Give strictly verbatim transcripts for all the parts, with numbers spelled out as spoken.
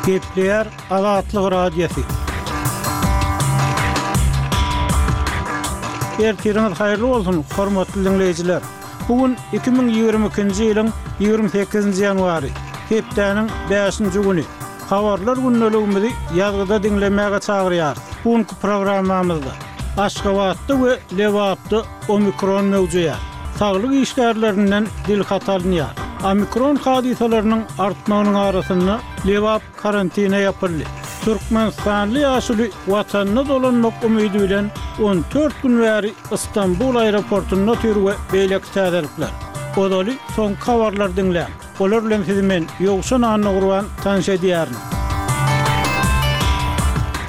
Gepleýär Azatlyk Radiosy. Ertiriňiz haýyrly bolsun, hormatly diňleýjiler! Bu gün iki müň ýigrimi ikinji ýylyň ýigrimi sekizinji ýanwary, hepdäniň bäşinji güni. Habarlar gündeligimizi ýazgyda diňlemäge çagyrýarys. Bu günki programmamyzda Aşgabatda we Lebapda omikron möwjeýär. Saglyk işgärlerinden dilhat alynýar. Omikron hadysalarynyň artmagynyň arasynda Lebap karantine ýapyldy. Türkmenistanly ýaşuly Watanyna dolanmak umydy bilen on dört gün bäri Istanbul aeroportunda otyr we beýleki täzelikler. Ozaly soňky habarlary diňläň. Olar bilen sizi men, Ýowşan Annagurban, tanyş edýärin.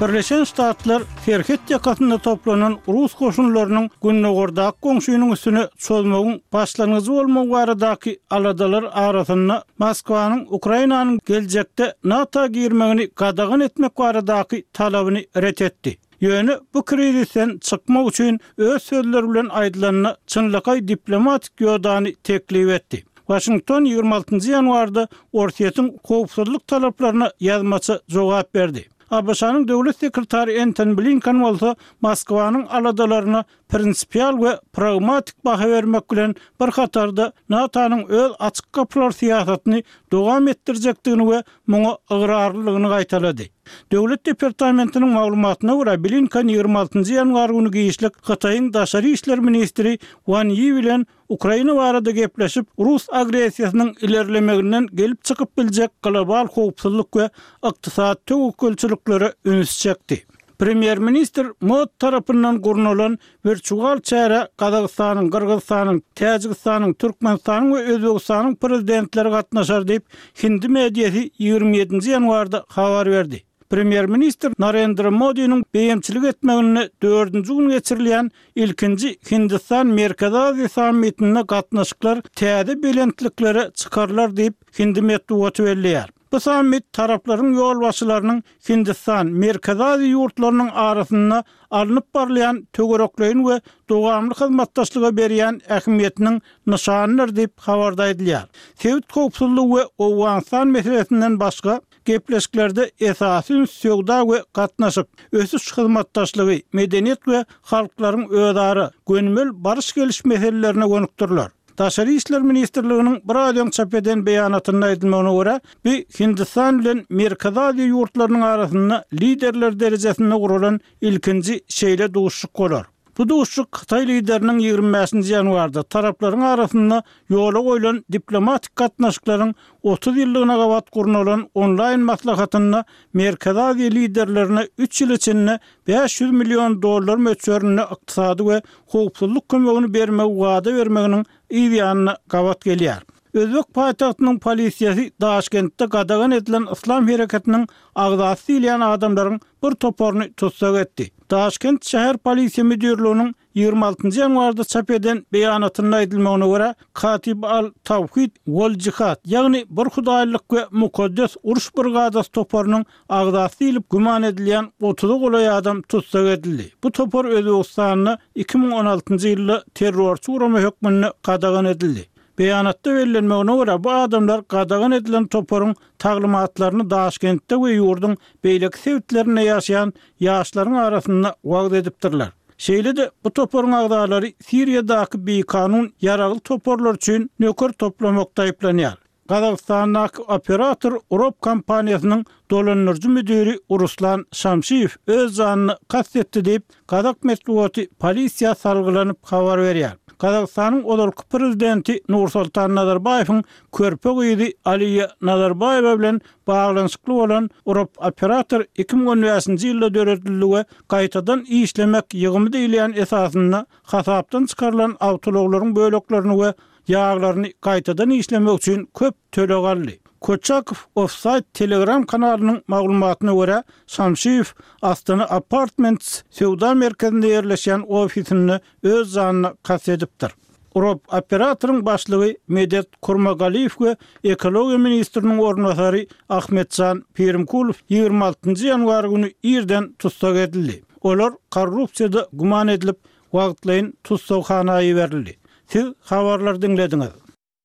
Birleşen Ştatlar serhet ýakasynda toplanan rus goşunlarynyň gündogardaky goňşynyň üstüne çozmagyň başlangyjy bolmagy baradaky aladalar arasynda Moskwanyň Ukrainanyň geljekde NATO girmegini gadagan etmek baradaky talabyny ret etdi. Ýöne bu krizisden çykmak üçin öz sözleri bilen aýdylanda çynlakaý diplomatik ýodany teklip etdi. Waşington ýigrimi altynjy ýanwarda Orsýetiň howpsuzlyk talaplaryna ýazmaça jogap berdi. A B Ş-nyň döwlet sekretary Entoni Blinken bolsa Moskwanyň aladalaryna prinsipial we pragmatik baha bermek bilen bir hatarda NATO-nyň öz açyk gapylar syýasatyny dowam etdirjekdigini we muňa ygrarlylygyny gaýtalady. Döwlet departamentiniň maglumatyna görä Blinken ýigrimi altynjy ýanwar güni giçlik Hytaýyň daşary işler ministri Wan Yi bilen Ukraina barada gepleşip, rus agressiýasynyň ilerlemeginden gelip çykyp biljek global howpsuzlyk we ykdysady töwekgelçiliklere üns çekdi. Premýer-ministr Mod tarapyndan gurnalan wirtual çärä Gazagystanyň, Gyrgyzystanyň, Täjigistanyň, Türkmenistanyň we Özbegistanyň prezidentleri gatnaşar diýip, hindi mediasy ýigrimi ýedinji ýanwarda habar berdi. Premýer-ministr Narendra Modiniň beýemçilik etmeginde dördünji gün geçirilýän ilkinji Hindistan Merkezi Aziýa sammitinde gatnaşyklar täze belentliklere çykarylar diýip, hindi metbugaty belleýär. Bu sammit taraplaryň ýolbaşçylarynyň Hindistan, Merkezi Aziýa ýurtlarynyň arasynda alnyp barylýan töwerekleýin we dowamly hyzmatdaşlyga berýän ähmiýetiniň nyşanydyr diýip habarda aýdylýar. Sebit howpsuzlygy we Owganystan meselesinden başga gepleşiklerde esasy üns söwda we gatnaşyk, ösüş hyzmatdaşlygy, medeniýet we halklaryň özara gönümel baryş-geliş meselelerine gönükdiriler. Daşary işler ministrliginiň bir aý öň çap eden beýanatynda aýdylmagyna görä, bu Hindistan bilen Merkezi Aziýa ýurtlarynyň arasynda liderler derejesinde guralan ilkinji şeýle duşuşyk bolar. Bu duşuşyk Hytaý lideriniň ýigrimi bäşinji ýanwarda taraplaryň arasynda ýola goýlan diplomatik gatnaşyklaryň otuz ýyllygyna gabat gurnalan onlaýn maslahatynda Merkezi Aziýa liderlerine üç ýyl içinde bäş ýüz million dollar möçberinde ykdysady we howpsuzlyk kömegini bermegi wada bermeginiň yz ýanyna gabat gelýär. Özbek paýtagtynyň polisiýasy Daşkentde gadagan edilen yslam hereketiniň agzasy diýilýän adamlaryň bir toparyny tussag etdi. Daşkent şäher polisiýa müdirliginiň ýigrimi altynjy ýanwarda çap eden beýanatynda aýdylmagyna görä, Katib al-Tawhid wal-Jihad, ýagny bir hudaýlyk we mukaddes uruş brigadasy toparynyň agzasy diýlip güman edilýän otuza golaý adam tussag edildi. Bu topar Özbegistanda iki müň on altynjy ýylda terrorçy gurama hökmünde gadagan edildi. Beýanatda bellenmegine görä, bu adamlar gadagan edilen toparyň taglymatlaryny Daşkentde we ýurduň beýleki sebitlerinde ýaşaýan ýaşlaryň arasynda wagyz edipdirler. Şeýle-de bu toparyň agzalary Siriýadaky bikanun ýaragly toparlar üçin nöker toplamakda aýyplanýar. Gazagystandaky operator Urop kompaniýasynyň dolandyryjy müdiri Ruslan Şamşiýew öz janyny kast etdi diýip, gazak metbugaty polisiýa salgylanyp habar berýär. Gazagystanyň ozalky prezidenti Nursultan Nazarbaýewiň körpe gyzy Aliýa Nazarbaýewa bilen baglanyşykly bolan Urop operator iki müň on bäşinji ýylda döredildi we gaýtadan işlemek ýygymy diýilýän esasynda hasapdan çykarylan awtoulaglaryň böleklerini we ýaglaryny gaýtadan işlemek üçin köp töleg aldy. Koçakow Offside Telegram kanalynyň maglumatyna görä, Şamşiýew Astana Apartments söwda merkezinde ýerleşýän ofisinde öz janyna kast edipdir. Urop operatoryň başlygy Medet Kurmagaliýew we ekologiýa ministriniň orunbasary Ahmetjan Pirimkulow ýigrimi altynjy ýanwar güni irden tussag edildi. Olar korrupsiýada güman edilip, wagtlaýyn tussaghana iberildi. Siz habarlary diňlediňiz.